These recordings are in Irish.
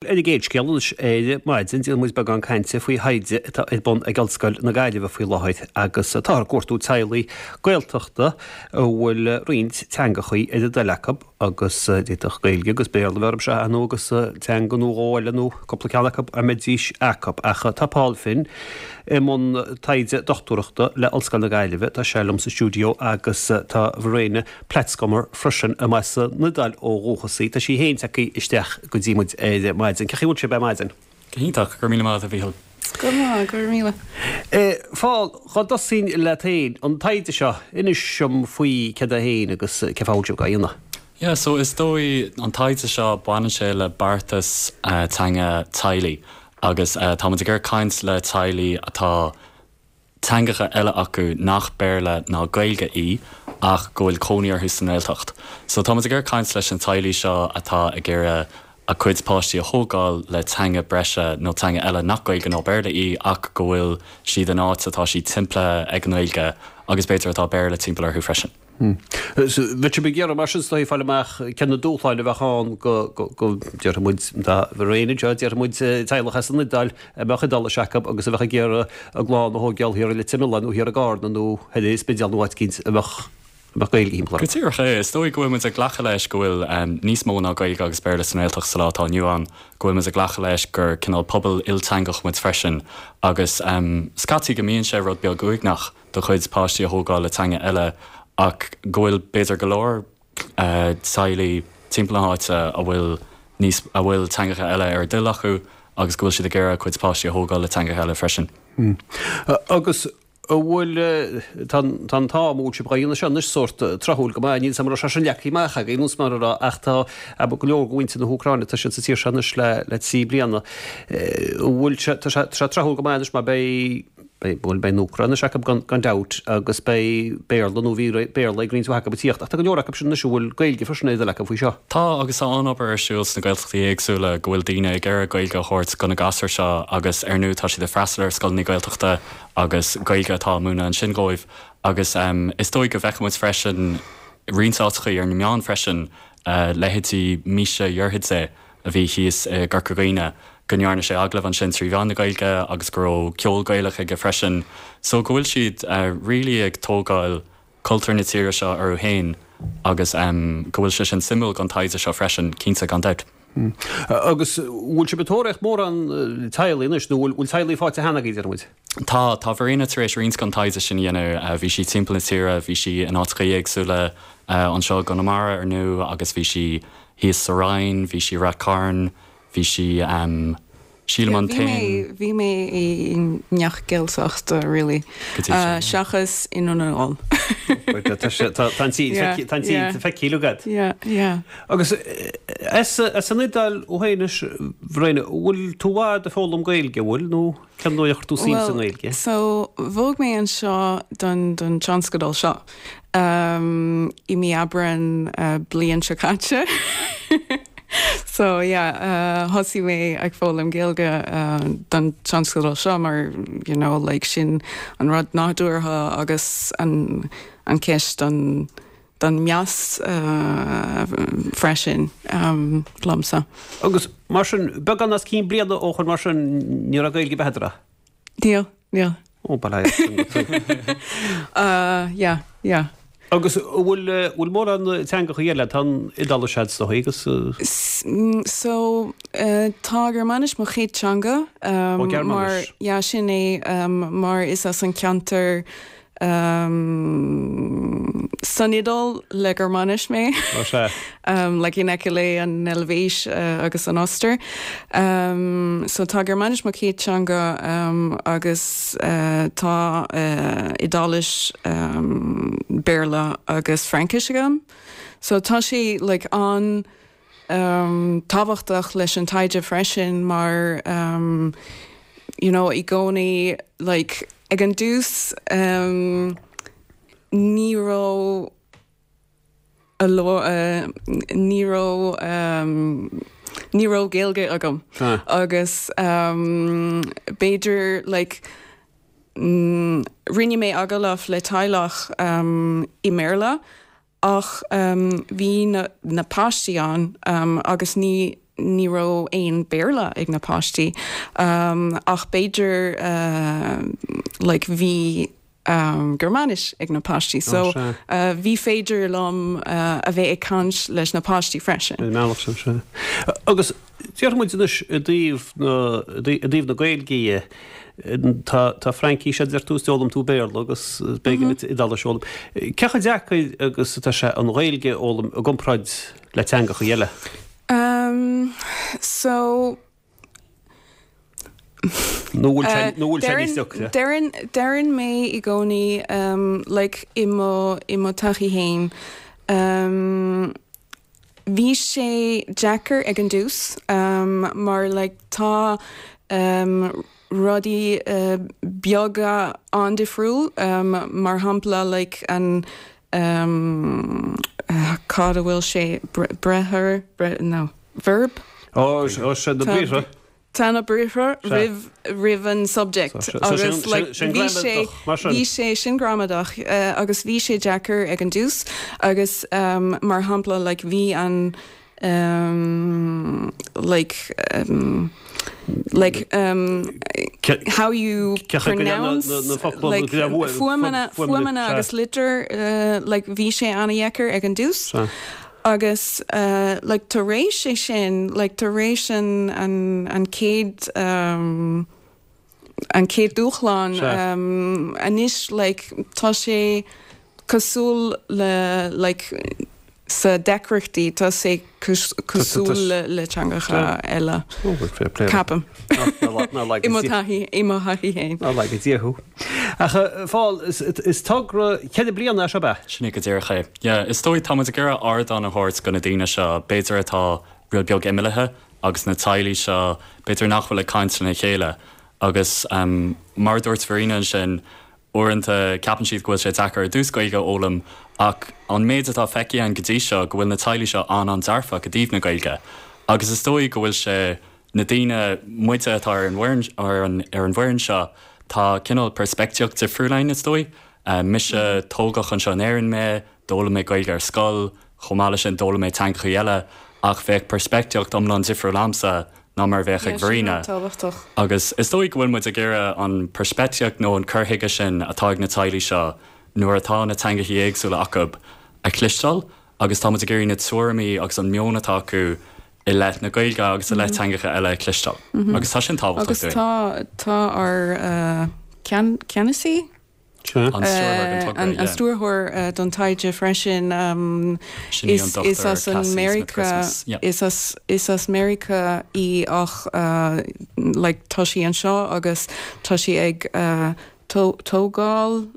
Ar an gcéad scéal anois ar maidin, déanfaidh muid beagán cainte faoi thaighde atá ar bun ag Ollscoil na Gaillimhe faoi láthair agus táthar ag cuartú teaghlaigh Gaeltachta a bhfuil roinnt teangachaí ar a dtoil acu agus d'fhéadfadh Gaeilge agus Béarla a bheith orthu seo ar ndóigh agus teanga nó dhó eile nó cúpla ceann acu a mbeidís acu. Ach tá Paul Finn i mbun taighde dochtúireachta le Ollscoil na Gaillimhe, tá sé liom sa stiúideo agus tá Verena Platzgummer freisin, as an Iodáil ó dhúchas í. Tá sí féin tagtha isteach go dtí muid ar maidin. Cén chaoi a bhfuil sibh ar maidin? Go hiontach, go raibh míle maith agat a Mhíchíl. Go maith, go raibh míle. Paul, dhá dtosóinn leat féin, an taighde seo, inis dom faoi céard é féin agus cén fáth a bhfuil sibh á dhéanamh. Yeah, so is dóigh an taighde seo baineann sé le beartas teanga teaghlaigh agus táimid ag iarraidh caint le teaghlaigh atá teangacha eile acu nach Béarla ná Gaeilge í ach go bhfuil cónaí orthu sa nGaeltacht. So tá muid ag iarraidh caint leis na teaghlaigh seo atá ag iarraidh a gcuid páistí a thógáil le teanga breise nó teanga eile nach Gaeilge ná Béarla í ach go bhfuil siad in áit atá siad timpeallaithe ag an nGaeilge agus b'fhéidir atá Béarla timpeall orthu freisin. Bheadh sibh ag iarraidh mar sin is dóigh fáil amach cé na dúshláin a bheadh ann go, go, déarfaidh muid, tá Verena anseo, déarfaidh muid teaghlach as an Iodáil a mbeadh Iodáilis acu agus a bheadh ag iarraidh a gclann a thógáil thiar i Leitir Mealláin nó thiar i gCarna nó thoir ar an Spidéal nó áit eicínt a mbeadh, a mbeadh Gaeilge timpeall orthu. Go díreach é. Is dóigh go bhfuil muid ag glacadh leis go bhfuil níos mó ná Gaeilge agus Béarla sa nGaeltacht sa lá atá inniu ann, go bhfuil muid ag glacadh leis gur cineál pobal ilteangach muid freisin agus scaití go mbíonn sé rud beag uaigneach. do chuid páistí a thógáil le teanga eile ach go bhfuil b'fhéidir go leor teaghlaigh timpeall na háite a bhfuil níos, a bhfuil teangacha eile ar a dtoil acu agus go bhfuil siad ag iarraidh a gcuid páistí a thógáil le teangacha eile freisin. Agus an bhfuil, tá an, tá an t-am a bhfuil sibh á dhéanamh seo anois sórt tráthúil go maith, níl 's agam an raibh sé sin leagtha amach agaibh nó mar a raibh ach tá, go leor de mhuintir na hÚcráine, tá siad sa tír seo anois le, le 3 bliana. An bhfuil sé, tá sé, tá sé tráthúil go maith anois mar beidh, Beidh, bhuel, beidh an Úcráinis acu gan, gan dabht agus beidh Béarla nó bhí Béarla ag roinnt mhaith acu ag tíocht ach tá go leor acu sin anois a bhfuil Gaeilge freisin ar a dtoil acu faoi seo. Tá, agus tá an-obair ar siúl sna Gaeltachtaí éagsúla go bhfuil daoine ag iarraidh Gaeilge a thabhairt do na gasúir seo agus ar ndóigh tá siad ag freastal ar scoileanna Gaeltachta agus Gaeilge atá á múineadh ansin dhóibh agus is dóigh go bhfeicfidh muid freisin roinnt áiteachaí ar na meáin freisin leithéidí Misha Jorjadze a bhí thíos i gCorca Dhuibhne, go ndearna sé agallamh ansin trí mheán na Gaeilge agus go raibh ceol Gaelach aige freisin. So go bhfuil siad really ag tógáil cultúr na tíre seo orthu féin agus go bhfuil sé sin suimiúil don taighde seo freisin, cinnte, gan dabht. Agus bhfuil sibh ag tóraíocht mórán teaghlaigh anois nó bhfuil teaghlaigh faighte cheana agaibh, deir muid? Tá, tá Verena tar éis roinnt den taighde sin a dhéanamh. Bhí sí timpeall na tíre, bhí sí in áiteachaí éagsúla anseo i gConamara ar ndóigh agus bhí sí thíos sa Rinn, bhí sí i Rath Cairn, bhí sí, sílim an t-aon. Bhí mé i ngach Gaeltacht really, seachas i nDún na nGall. Tá an tír feicthe agat. Yeah, yeah. Agus as an Iodáil thú féin anois, Verena, bhfuil tú i bhfad ag foghlaim Gaeilge, an bhfuil, nó cén dóigh a chuir tú suim sa nGaeilge? Well, so bhog mé anseo don don tionscadal seo. I mí Aibreán bliain seo caite. So yeah, thosaigh mé ag foghlaim Gaeilge don tionscadal seo mar you know like sin an rud nádúrtha agus an an ceist don don meas freisin liomsa. Agus mar sin, beagán os cionn bliana ó shoin mar sin ní raibh Gaeilge ar bith agat? Níl, níl. Ó, bail ó Dhia ort. Yeah, yeah. Agus an bhfuil, bhfuil mórán teangacha eile, tá an Iodáilis agat is dóigh agus. So, tá Gearmáinis mo chéad teanga. Ó, Gearmáinis. Mar, yeah, sin é, mar is as an ceantar San Iodáil le Gearmáinis mé. Ó sea. Like in aice le an Eilvéis agus an Ostair. So tá Gearmáinis mo chéad teanga agus tá Iodáilis, Béarla agus Fraincis agam. So tá sé like an tábhachtach leis an taighde freisin mar you know i gcónaí like ag an dtús ní raibh a ní raibh ní raibh Gaeilge agam agus b'fhéidir like rinne mé agallamh le teaghlach i mBéarla Ach bhí na páistí ann agus ní. ní raibh aon Béarla ag na páistí ach b'fhéidir like bhí Gearmáinis ag na páistí so bhí féidir liom a bheith ag caint leis na páistí freisin. Ar an mbealach sin, sea. Agus déarfaidh muid anois i dtaobh na, i dtaobh na Gaeilge dhe, tá, tá Fraincis a deir tú is d'fhoghlaim tú Béarla agus b'éigean duit Iodáilis a fhoghlaim. Cé chomh deacair agus atá sé an Ghaeilge a fhoghlaim i gcomparáid le teangacha eile? Um, so. Nó bhfuil sé, nó bhfuil sé níos deacra? Deireann, deireann mé i gcónaí, um, like, i mo, i mo taithí fhéin, um, bhí sé deacair ag an dtús, um, mar, like, tá, um, rudaí, uh, beaga an-difriúil, um, mar shampla, like, an, um, cad a bhfuil sé, briathar, no, verb? Ó, sé na briathra. Tá na briathra roimh, roimh an subject agus like bhí sé, bhí sé sin gramadach agus bhí sé deacair ag an dtús agus mar shampla like bhí an um like um like um how you pronounce like fuaimeanna fuaimeanna agus litir like bhí sé an-dheacair ag an dtús agus like tar éis é sin like tar éis an an an chéad um an chéad dúshlán anois like tá sé cosúil le like sa deacrachtaí tá sé cosúil le le teangacha eile ceapaim i mo thaithí i mo thaithí féin. Ná laga Dia thú. Ach a Phóil is togra cheithre bliana é seo ab ea? Sin é go díreach é. Yeah, is dóigh tá muid ag iarraidh ardán a thabhairt do na daoine seo b'fhéidir atá rud beag imeallaithe agus na teaghlaigh seo, b'fhéidir nach bhfuil ag caint lena chéile. Agus mar a dúirt Verena ansin, uaireanta ceapann siad go bhfuil sé deacair ar dtús Gaeilge a fhoghlaim ach an méid atá feicthe againn go dtí seo go bhfuil na teaghlaigh seo an-an-dearfach i dtaobh na Gaeilge. Agus is dóigh go bhfuil sé, na daoine, muide atá ar an bhfoireann, ar an, ar an bhfoireann seo, tá cineál peirspictíocht difriúil againn is dóigh. Mise, tógadh anseo in Éirinn mé, D'fhoghlaim mé Gaeilge ar scoil, chomh maith leis sin d'fhoghlaim mé teangachaí eile, ach bheadh peirspictíocht iomlán difriúil a'msa ná mar a bheadh ag Verena. Agus is dóigh go bhfuil muid ag iarraidh an peirspictíocht nó an cur chuige sin atá ag na teaghlaigh seo nuair atá na teangachaí éagsúla acu a chloisteáil agus tá muid ag iarraidh na tuairimí agus an meon atá acu i leith na Gaeilge agus i leith teangacha eile a chloisteáil. Agus tá sin tábhachtach Agus dúinn. tá tá ár ceannasaí? An stiúrthóir don togra, An stiúrthóir don taighde freisin. Sin í an Dr. Is as an Cassie Meiriceá Smith-Christmas. Yeah. is as is as Meiriceá í ach like tá sí anseo agus tá sí ag tógáil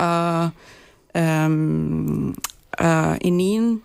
a a iníon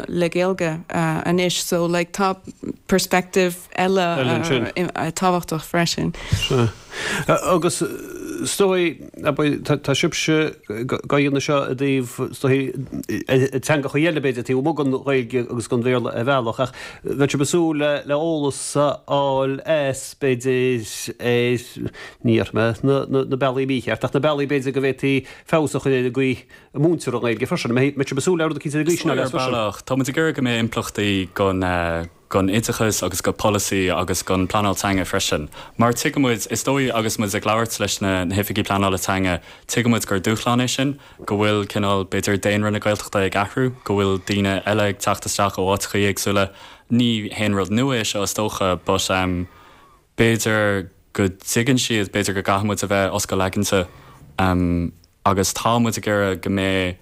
le Gaeilge anois so like tá perspective eile tábhachtach freisin. Sea. Agus is dóigh, tá sibhse dhá dhéanamh seo i dtaobh, is dóigh, teangacha eile b'fhéidir taobh amuigh den Ghaeilge agus den Bhéarla ar bhealach ach bheadh sibh ag súil le eolas a fháil as b'fhéidir ar, ní dhéarfaidh mé na bealaí mícheart ach na bealaí b'fhéidir go bhféadfaí feabhas a chur ar an gcaoi a múintear an Ghaeilge freisin. An mbeidh sibh ag súil le rud eicínt ar an gcaoi sin a fháil freisin? Ar bhealach, tá muid ag iarraidh go mbeidh impleachtaí don don oideachas agus go polasaí agus don pleanáil teanga freisin. Mar tuigeann muid, is dóigh agus muid ag labhairt leis na na hoifigigh pleanála teanga, tuigeann muid gur dúshlán é sin, go bhfuil cineál, b'fhéidir, daonra na Gaeltachta ag athrú, go bhfuil daoine eile ag teacht isteach ó áiteachaí éagsúla. Ní haon rud nua é seo is dócha but b'fhéidir go dtuigeann siad, b'fhéidir go gcaithfidh muid a bheith oscail aigeanta agus tá muid ag iarraidh go mbeidh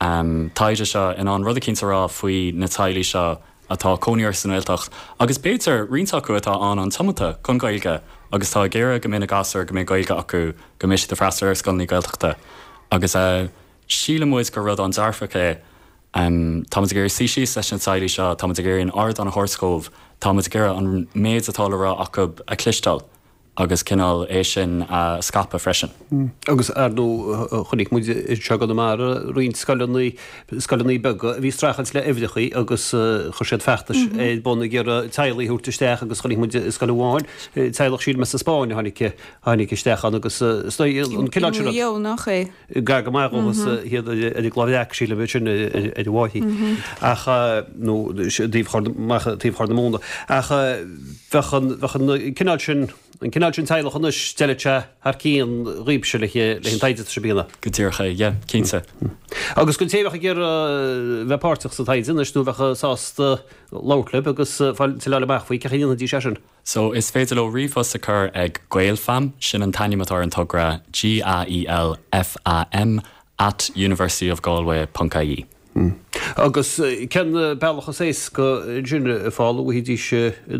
an taighde seo in ann rud eicínt a rá faoi na teaghlaigh seo atá cónaí orthu sa nGaeltacht agus b'fhéidir roinnt acu atá an-an-tiomanta don Ghaeilge agus tá ag iarraidh go mbeidh na gasúir, go mbeidh Gaeilge acu, go mbeidh siad ag freastal ar scoileanna Gaeltachta agus síleann muid gur rud an-dearfach é. Tá muid ag iarraidh suí síos leis na teaghlaigh seo, tá muid ag iarraidh an ardán a thabhairt dhóibh, tá muid ag iarraidh an méid atá le rá acu a chloisteáil. agus cineál é sin a scaipeadh freisin. Agus ar ndóigh chonaic muid anseo i gConamara roinnt scoileanna, scoileanna beaga a bhí ag streachailt le uimhreachaí agus chuir siad feachtais ar bun ag iarraidh teaghlaigh a thabhairt isteach agus chonaic muid i scoil amháin, teaghlach sílim as an Spáinn a tháinig, tháinig isteach ann agus is dóigh an cineál sin rud. I Maigh Eo, nach é? Gar go maith dhóthas iad ar an gCloich Bhreac sílim é sin ar an bhFáichí ach nó taobh Chorr, taobh Chorr na Móna ach bheadh an, bheadh an cineál sin, an cineál sin teaghlach anois, d'fheilfeadh sé thar cionn dhaoibhse le, leis an taighde atá sibh a dhéanamh. Go díreach é, yeah, cinnte. Agus don té a bheadh ag iarraidh bheith páirteach sa taighde anois nó a bheadh sásta labhairt libh agus fáil tuilleadh amach faoi, cén chaoi a ndéanfaidís é sin? So, is féidir leo ríomhphost a chur ag Gaelfam, sin an t-ainm atá ar an togra, G-A-E-L-F-A-M at universityofgalway ponc ie. Agus cén bealach is éasca ansin a Phaul a bhfaighidís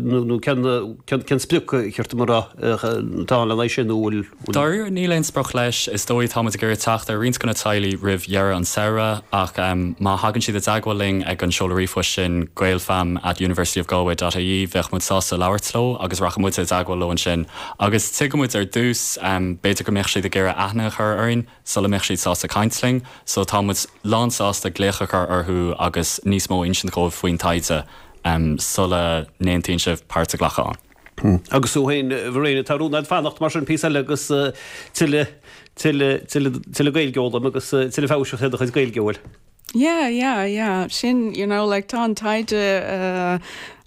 nó cén cén sprioc ar cheart dom a rá atá ann lena aghaidh sin nó bhfuil Dáiríre níl aon sprioc leis. Is dóigh tá muid ag iarraidh teacht ar roinnt de na teaghlaigh roimh dheireadh an samhradh ach má thagann siad i dteagmháil linn ag an seoladh ríomhphoist sin gaelfam at universityofgalway dot ie bheadh muid sásta labhairt leo agus rachadh muide i dteagmháil leo ansin agus tuigeann muid ar dtús b'fhéidir go mbeadh siad ag iarraidh aithne a chur orainn sula mbeadh siad sásta caint linn so tá muid lán sásta glaoch a chur orthu agus níos mó a insint dhóibh faoin taighde sula n-aontaíonn sibh páirt a ghlacadh ann. Agus tú féin, Verena, tá rún agat fanacht mar sin píosa eile agus tuilleadh, tuilleadh, tuilleadh, tuilleadh Gaeilge a fhoghlaim agus tuilleadh feabhais a chur ar do chuid Gaeilge, an bhfuil? Yeah, yeah, yeah. Sin, you know, like tá an taighde uh,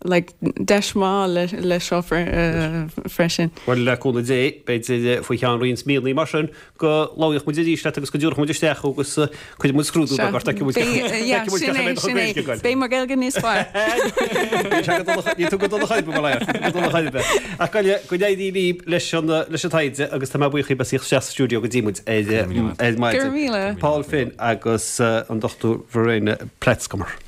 like deis maith le, le seo fre, uh, freisin. Bhuel, le cúnamh Dé, b'fhéidir faoi cheann roinnt míonna mar sin go labhróidh muid arís leat agus go dtabharfaidh muid isteach thú agus cuirfidh muid scrúdú beag ort, feicfidh muid feicfidh muid cén chaoi a mbeidh do chuid Gaeilge ag goil. Beidh mo Ghaeilge níos fearr. Níl sé go dona, níl tú go dona chor ar bith, mar níl tú go dona chor ar bith. Ach go go n-éirí libh leis an leis an taighde agus tá mé buíoch dhaoibh as a thíocht isteach sa stiúideo go dtí muid ar ar maidin. Go raibh míle. Paul Finn agus an Dr Verena Platzgummer.